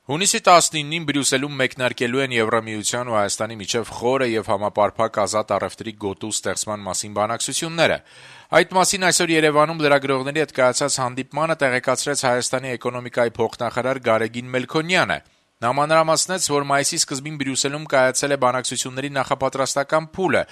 Հունիսի 19-ին Բրյուսելում մեկնարկելու են Եվրամիության ու Հայաստանի միջև խորը եւ համապարփակ ազատ առևտրի գոտու ստեղծման մասին բանակցությունները։ Այդ մասին այսօր Երևանում լրագրողների հետ կայացած հանդիպմանը տեղեկացրեց Հայաստանի էկոնոմիկայի փոխնախարար Գարեգին Մելքոնյանը։ Նա մանրամասնեց, որ մայիսի սկզբին Բրյուսելում կայացել է բանակցությունների նախապատրաստական փուլը,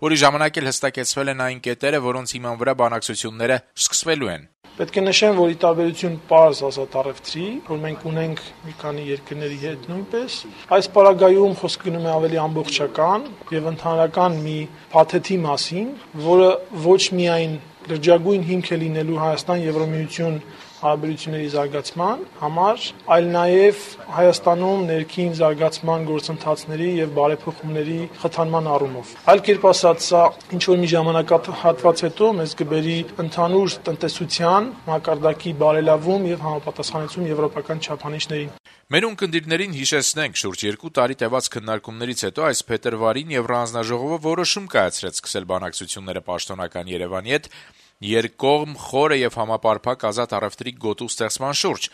որի ժամանակ էլ հստակեցվել են այն կետերը, որոնց հիման վրա բանակցությունները սկսվելու են։ Պետք է նշեմ, որ ի տարբերություն պարզ ազատ առևտրի, որ մենք ունենք մի քանի երկրների հետ նույնպես, այս պարագայում խոսք գնում է ավելի ամբողջական եւ ընդհանրական մի փաթեթի մասին, որը ոչ միայն լրջագույն հիմք է լինելու Հայաստան-Եվրամիություն հարաբերությունների զարգացման համար, այլ նաև Հայաստանում ներքին զարգացման գործընթացների եւ բարեփոխումների խթանման առումով։ Այլ կերպ ասած, սա ինչ որ մի ժամանակահատված հետո մեզ կբերի ընդհանուր տնտեսության մակարդակի բարելավում եւ համապատասխանեցում եվրոպական չափանիշներին։ Մեր ունկնդիրներին հիշեցնենք, շուրջ 2 տարի տևած քննարկումներից հետո այս փետրվարին Եվրահանձնաժողովը որոշում կայացրեց սկսել բանակցությունները պաշտոնական Երևանի հետ երկկողմ խորը եւ համապարփակ ազատ առևտրի գոտու ստեղծման շուրջ։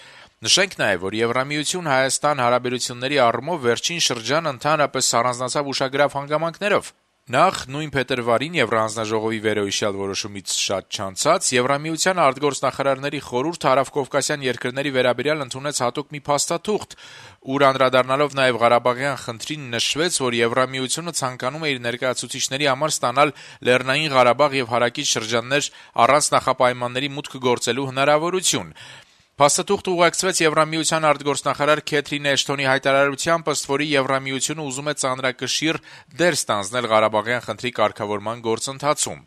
Նշենք նաեւ, որ Եվրամիություն-Հայաստան հարաբերությունների առումով վերջին շրջան ընդհանրապես առանձնացավ ուշագրավ հանգամանքներով։ Նախ նույն փետրվարին Եվրահանձնաժողովի վերոհիշյալ որոշումից շատ չանցած Եվրամիության արտգործնախարարների խորհուրդ հարավկովկասյան երկրների վերաբերյալ ընդունեց հատուկ մի փաստաթուղթ, ուր անդրադառնալով նաեւ Ղարաբաղյան խնդրին նշվեց, որ Եվրամիությունը ցանկանում է իր ներկայացուցիչների համար ստանալ Լեռնային Ղարաբաղ եւ հարակից շրջաններ առանց նախապայմանների մուտք գործելու հնարավորություն։ Փաստաթուղթը ուղեկցվեց Եվրամիության արտգործնախարար Քեթրին Էշթոնի հայտարարությամբ, ըստ որի Եվրամիությունը ուզում է ծանրակշիռ դեր ստանձնել Ղարաբաղյան խնդրի կարգավորման գործընթացում։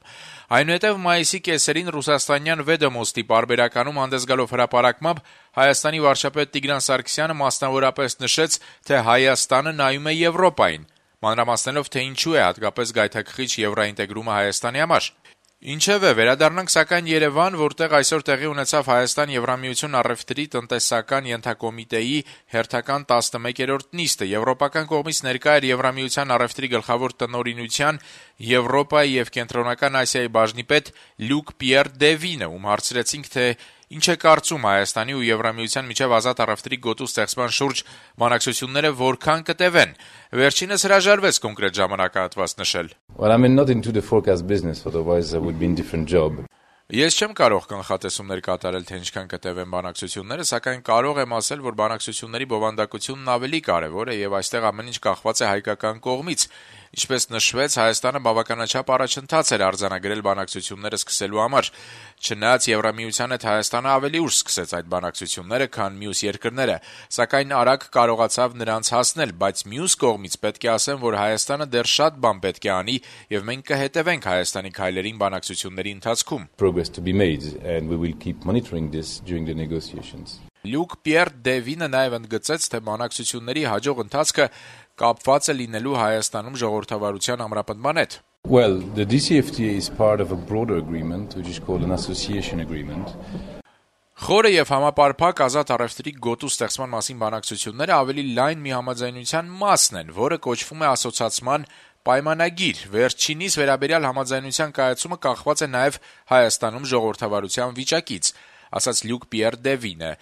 Այնուհետև մայիսի կեսերին ռուսաստանյան Վեդոմոստի պարբերականում հանդես գալով հրապարակմամբ Հայաստանի վարչապետ Տիգրան Սարգսյանը մասնավորապես նշեց, թե Հայաստանը նայում է Եվրոպային, մանրամասնելով, թե ինչու է հատկապես գայթակղիչ եվրոինտեգրումը Հայաստանի համար։ Ինչևէ, վերադառնանք սակայն Երևան, որտեղ այսօր տեղի ունեցավ Հայաստան-Եվրամիություն առևտրի տնտեսական ենթակոմիտեի հերթական 11-րդ նիստը։ Եվրոպական կողմից ներկա էր Եվրամիության առևտրի գլխավոր տնօրինության Եվրոպայի եւ Կենտրոնական Ասիայի բաժնի պետ Լյուկ Պիեր Դևինը, ում հարցրեցինք, թե ինչ է կարծում Հայաստանի ու Եվրամիության միջև ազատ առևտրի գոտու ստեղծման շուրջ բանակցությունները որքան կտևեն։ Վերջինս հրաժարվեց կոնկրետ ժամանակահատված նշել. Well, I'm not into the forecast business, otherwise I would be in different job. Ես չեմ կարող կանխատեսումներ կատարել, թե ինչքան կտևեն բանակցությունները, սակայն կարող եմ ասել, որ բանակցությունների բովանդակությունն ավելի կարևոր է եւ այստեղ ամեն ինչ կախված է հայկական կողմից։ Ինչպես նշվեց, Հայաստանը բավականաչափ առաջընթաց էր արձանագրել բանակցությունները սկսելու համար։ Չնայած Եվրամիության հետ Հայաստանը ավելի ուշ սկսեց այդ բանակցությունները, քան մյուս երկրները, սակայն արագ կարողացավ նրանց հասնել, բայց մյուս կողմից պետք է ասեմ, որ Հայաստանը դեռ շատ բան պետք է անի եւ մենք կհետևենք Հայաստանի քայլերին բանակցությունների ընթացքում։ Progress to be made and we will keep monitoring this during the negotiations. Լյուկ Պիեր Դևինը նաև ընդգծեց, թե բանակցությունների հաջող ընթացքը կապված է լինելու Հայաստանում ժողովրդավարության ամրապնդման հետ։ Well, the DCFTA is part of a broader agreement, which is called an association agreement. Խորը եւ համապարփակ ազատ առևտրի գոտու ստեղծման մասին բանակցությունները ավելի լայն մի համաձայնության մասն են, որը կոչվում է ասոցիացման պայմանագիր։ Վերջինիս վերաբերյալ համաձայնության կայացումը կախված է նաև Հայաստանում ժողովրդավարության վիճակից, ասաց Լյուկ Պիեր Դևինը։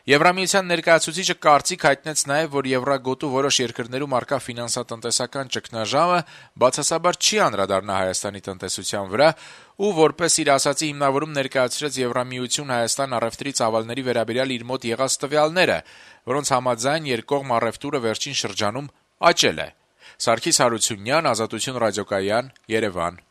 Եվրամիության ներկայացուցիչը կարծիք հայտնեց նաև, որ Եվրագոտու որոշ երկրներում առկա ֆինանսատնտեսական ճգնաժամը բացասաբար չի անդրադառնա Հայաստանի տնտեսության վրա ու որպես իր ասացի հիմնավորում ներկայացրեց Եվրամիություն-Հայաստան առևտրի ծավալների վերաբերյալ իր մոտ եղած տվյալները, որոնց համաձայն երկկողմ առևտուրը վերջին շրջանում աճել է։ Սարգիս Հարությունյան, Ազատություն ռադիոկայան, Երևան։